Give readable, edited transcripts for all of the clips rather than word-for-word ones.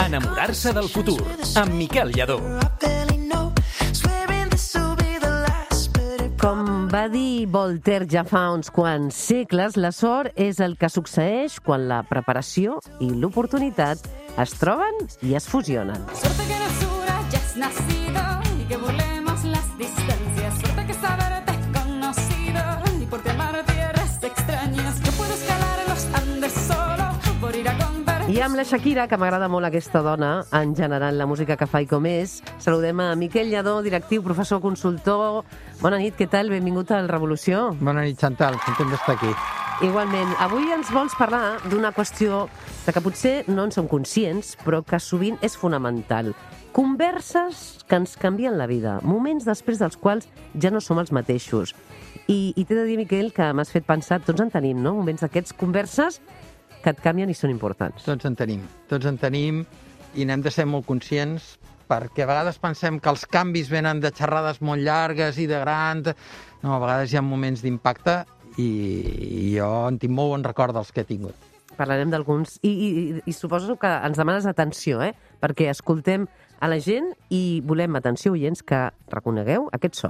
Enamorar-se del futur, amb Miquel Lladó. Com va dir Voltaire ja fa uns quants segles, la sort és el que succeeix quan la preparació i l'oportunitat es troben i es fusionen. Suerte que natura ya has nacido y que volemos las distancias. Suerte que saberte es conocido y por amar tierras extrañas. Yo puedo escalar los Andes solo por ir a convertir. I amb la Shakira, que m'agrada molt aquesta dona, en general la música que fa i com és, saludem a Miquel Lladó, directiu, professor, consultor. Bona nit, què tal? Benvingut al Revolució. Bona nit, Chantal, content d'estar aquí. Igualment. Avui ens vols parlar d'una qüestió de que potser no en som conscients, però que sovint és fonamental. Converses que ens canvien la vida, moments després dels quals ja no som els mateixos. I t'he de dir, Miquel, que m'has fet pensar, tots en tenim, no? Moments d'aquests, converses que et canvien i són importants. Tots en tenim i n'hem de ser molt conscients perquè a vegades pensem que els canvis venen de xerrades molt llargues i de grans. No, a vegades hi ha moments d'impacte i jo en tinc molt bon record dels que he tingut. Parlarem d'alguns i suposo que ens demanes atenció, perquè escoltem a la gent i volem, atenció, oients, que reconegueu aquest so.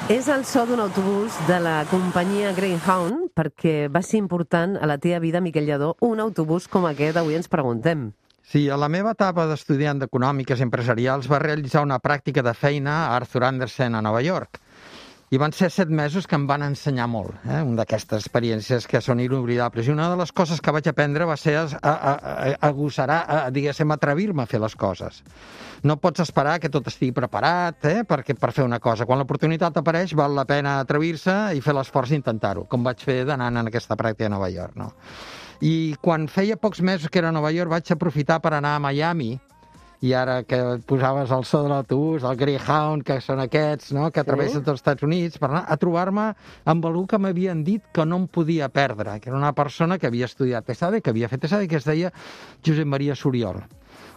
És el so d'un autobús de la companyia Greyhound, perquè va ser important a la teva vida, Miquel Lladó, un autobús com aquest, avui ens preguntem. Sí, a la meva etapa d'estudiant d'Econòmiques i Empresarials va realitzar una pràctica de feina a Arthur Andersen a Nova York. I van ser 7 mesos que em van ensenyar molt, una d'aquestes experiències que són inoblidables. I una de les coses que vaig aprendre va ser diguéssim, atrevir-me a fer les coses. No pots esperar que tot estigui preparat per fer una cosa. Quan l'oportunitat apareix, val la pena atrevir-se i fer l'esforç d'intentar-ho, com vaig fer d'anant en aquesta pràctica a Nova York. No? I quan feia pocs mesos que era a Nova York, vaig aprofitar per anar a Miami, i ara que posaves el so de l'autobús, el Greyhound, que són aquests, no?, que travessen tots els Estats Units, per anar a trobar-me amb algú que m'havien dit que no em podia perdre, que era una persona que havia estudiat ESADE, que havia fet ESADE, que es deia Josep Maria Soriol.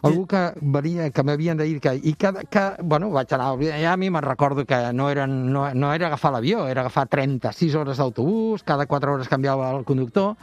Algú que m'havien de dir vaig anar a Miami, me'n recordo que no era agafar l'avió, era agafar 36 hores d'autobús, cada 4 hores canviava el conductor,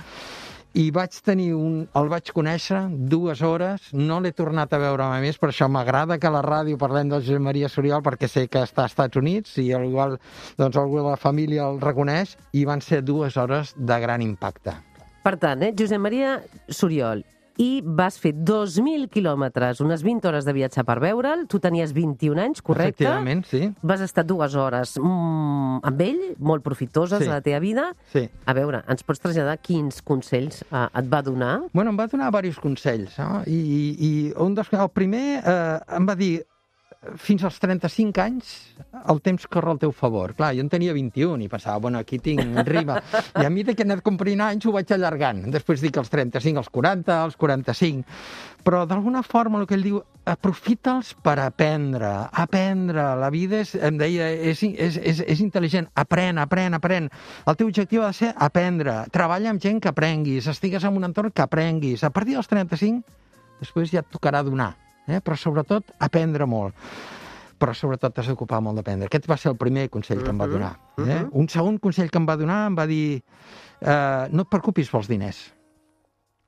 i el vaig conèixer 2 hores, no l'he tornat a veure mai més, per això m'agrada que a la ràdio parlem del Josep Maria Soriol, perquè sé que està als Estats Units i igual algú de la família el reconeix, i van ser 2 hores de gran impacte. Per tant, Josep Maria Soriol, i vas fer 2.000 quilòmetres, unes 20 hores de viatge per veure'l, tu tenies 21 anys, correcte? Efectivament, sí. Vas estar 2 hores amb ell, molt profitoses a la teva vida. Sí. A veure, ens pots traslladar quins consells et va donar? Bueno, em va donar diversos consells, no? I el primer em va dir: fins als 35 anys, el temps corre al teu favor. Clar, jo en tenia 21 i pensava, aquí tinc rima. I a mesura que he anat complint anys ho vaig allargant. Després dic els 35, els 40, els 45. Però d'alguna forma el que ell diu, aprofita'ls per aprendre. La vida em deia, és intel·ligent. Aprèn. El teu objectiu ha de ser aprendre. Treballa amb gent que aprenguis. Estigues en un entorn que aprenguis. A partir dels 35, després ja et tocarà donar. Però sobretot aprendre molt. Però sobretot t'has d'ocupar molt d'aprendre. Aquest va ser el primer consell que em va donar. Un segon consell que em va donar em va dir: no et preocupis pels diners.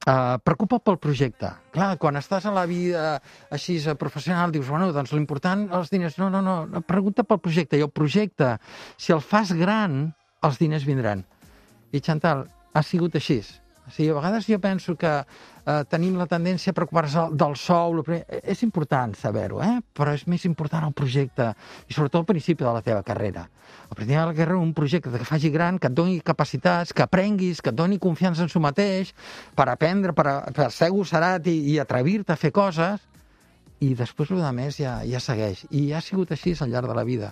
Preocupa't pel projecte. Clar, quan estàs a la vida així professional dius, doncs l'important, els diners. No, pregunta pel projecte. I el projecte, si el fas gran, els diners vindran. I Chantal, ha sigut així. O sigui, a vegades jo penso que tenim la tendència a preocupar-se del sou. És important saber-ho, però és més important el projecte i sobretot al principi de la teva carrera. Al principi de la carrera, un projecte que faci gran, que et doni capacitats, que aprenguis, que et doni confiança en si mateix, per aprendre, per ser agosserat i atrevir-te a fer coses, i després el més ja segueix. I ha sigut així al llarg de la vida.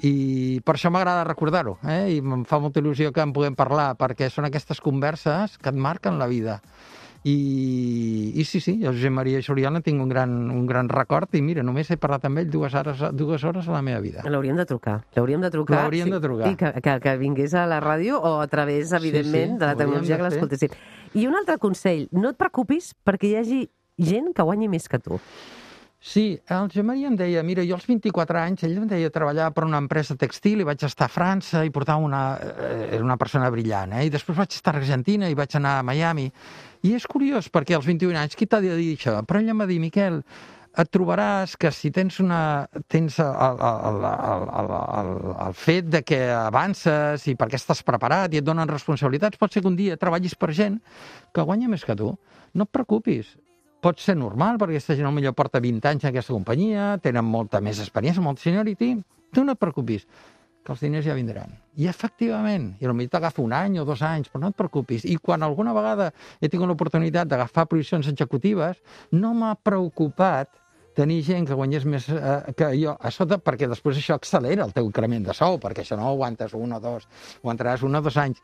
I per això m'agrada recordar-ho, i em fa molta il·lusió que en puguem parlar, perquè són aquestes converses que et marquen la vida. I sí, jo Josep Maria Soriol en tinc un gran record, i mira, només he parlat amb ell 2 hores a la meva vida. L'hauríem de trucar. I que vingués a la ràdio o a través, evidentment, de la tecnologia que l'escoltessin. I un altre consell, no et preocupis perquè hi hagi gent que guanyi més que tu. Sí, el Josep Maria em deia, mira, jo als 24 anys, ell em deia, treballava per una empresa textil i vaig estar a França i portava era una persona brillant, I després vaig estar a Argentina i vaig anar a Miami. I és curiós, perquè als 21 anys, qui t'ha de dir això? Però ell em va dir, Miquel, et trobaràs que si tens el fet de que avances i perquè estàs preparat i et donen responsabilitats, pot ser que un dia treballis per gent que guanya més que tu. No et preocupis. Pot ser normal, perquè aquesta gent potser porta 20 anys en aquesta companyia, tenen molta més experiència, molta seniority. Tu no et preocupis, que els diners ja vindran. I efectivament, i potser t'agafa 1 any o 2 anys, però no et preocupis. I quan alguna vegada he tingut l'oportunitat d'agafar posicions executives, no m'ha preocupat tenir gent que guanyés més que jo a sota, perquè després això accelera el teu increment de sou, perquè això no ho aguantes 1 o 2, ho aguantaràs 1 o 2 anys.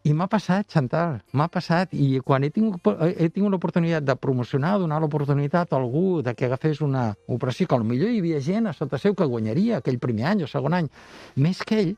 I m'ha passat, Chantal, m'ha passat, i quan he tingut l'oportunitat de promocionar, donar l'oportunitat a algú de que agafés una operació, que potser hi havia gent a sota seu que guanyaria aquell primer any o segon any, més que ell,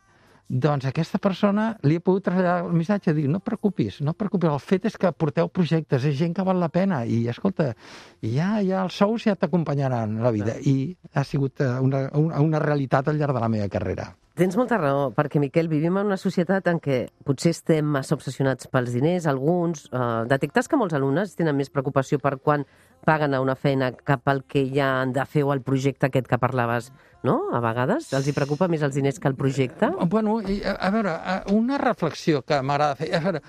doncs aquesta persona li he pogut traslladar el missatge, dir, no et preocupis, el fet és que porteu projectes, és gent que val la pena, i escolta, ja els sous ja t'acompanyaran la vida, i ha sigut una realitat al llarg de la meva carrera. Tens molta raó, perquè, Miquel, vivim en una societat en què potser estem massa obsessionats pels diners, alguns. Detectes que molts alumnes tenen més preocupació per quan paguen a una feina cap al que ja han de fer o al projecte aquest que parlaves, no? A vegades els hi preocupa més els diners que el projecte? Bueno, a veure, una reflexió que m'agrada fer. A veure,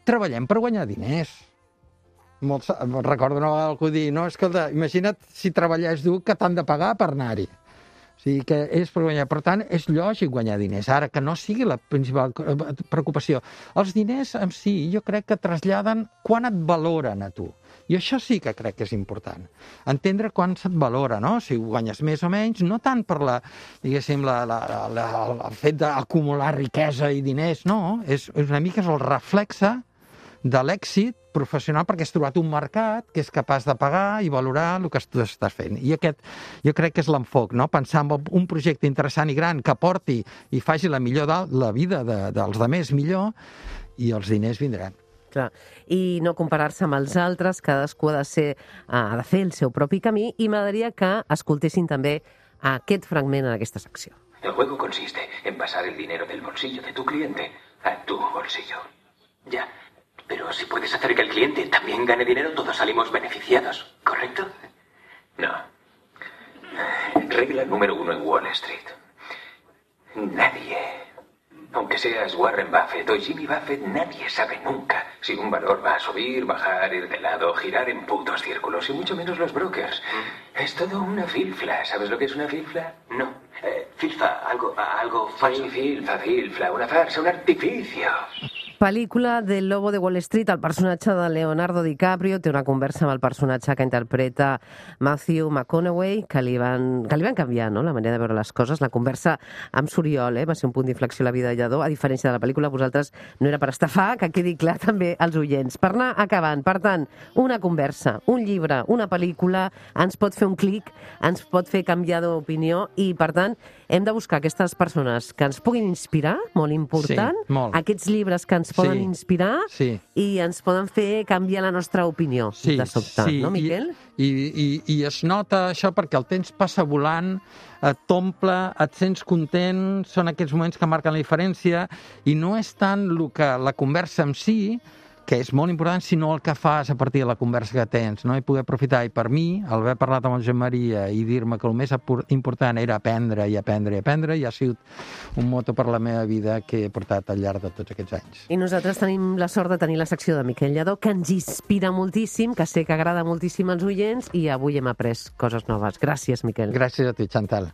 treballem per guanyar diners. Recordo una vegada algú dir, no, escolta, imagina't si treballés dur que t'han de pagar per anar-hi. O sigui que és per guanyar. Per tant, és lògic guanyar diners. Ara, que no sigui la principal preocupació. Els diners en si, jo crec que traslladen quan et valoren a tu. I això sí que crec que és important. Entendre quan se't valora, no? Si guanyes més o menys, no tant per diguéssim, el fet d'acumular riquesa i diners, no. És una mica el reflexe de l'èxit professional perquè has trobat un mercat que és capaç de pagar i valorar el que tu estàs fent. I aquest jo crec que és l'enfoc, no? Pensar en un projecte interessant i gran que aporti i faci la vida dels altres millor, i els diners vindran. Clar. I no comparar-se amb els altres, cadascú ha de fer el seu propi camí, i m'agradaria que escoltessin també aquest fragment en aquesta secció. El juego consiste en pasar el dinero del bolsillo de tu cliente a tu bolsillo. Ya. Pero si puedes hacer que el cliente también gane dinero, todos salimos beneficiados, ¿correcto? No. Regla número 1 en Wall Street. Nadie, aunque seas Warren Buffett o Jimmy Buffett, nadie sabe nunca si un valor va a subir, bajar, ir de lado, girar en putos círculos, y mucho menos los brokers. Es todo una filfla. ¿Sabes lo que es una filfla? No. Filfa, algo falso. Sí, filfla, una farsa, un artificio. Pel·lícula del Lobo de Wall Street, el personatge de Leonardo DiCaprio té una conversa amb el personatge que interpreta Matthew McConaughey, que li van canviar, no?, la manera de veure les coses. La conversa amb Suriol va ser un punt d'inflexió a la vida de Lledó. A diferència de la pel·lícula, vosaltres no era per estafar, que quedi clar també als oients. Per anar acabant, per tant, una conversa, un llibre, una pel·lícula, ens pot fer un clic, ens pot fer canviar d'opinió, i, per tant, hem de buscar aquestes persones que ens puguin inspirar, molt important, sí, molt. Aquests llibres que ens poden inspirar i ens poden fer canviar la nostra opinió de sobte, no, Miquel? I es nota això perquè el temps passa volant, t'omple, et sents content, són aquests moments que marquen la diferència, i no és tant la conversa en si, que és molt important, sinó el que fas a partir de la conversa que tens, no? I poder aprofitar. I per mi, el haver parlat amb el Josep Maria i dir-me que el més important era aprendre i aprendre i aprendre, ja ha sigut un moto per la meva vida que he portat al llarg de tots aquests anys. I nosaltres tenim la sort de tenir la secció de Miquel Lledó, que ens inspira moltíssim, que sé que agrada moltíssim als oients, i avui hem après coses noves. Gràcies, Miquel. Gràcies a tu, Chantal.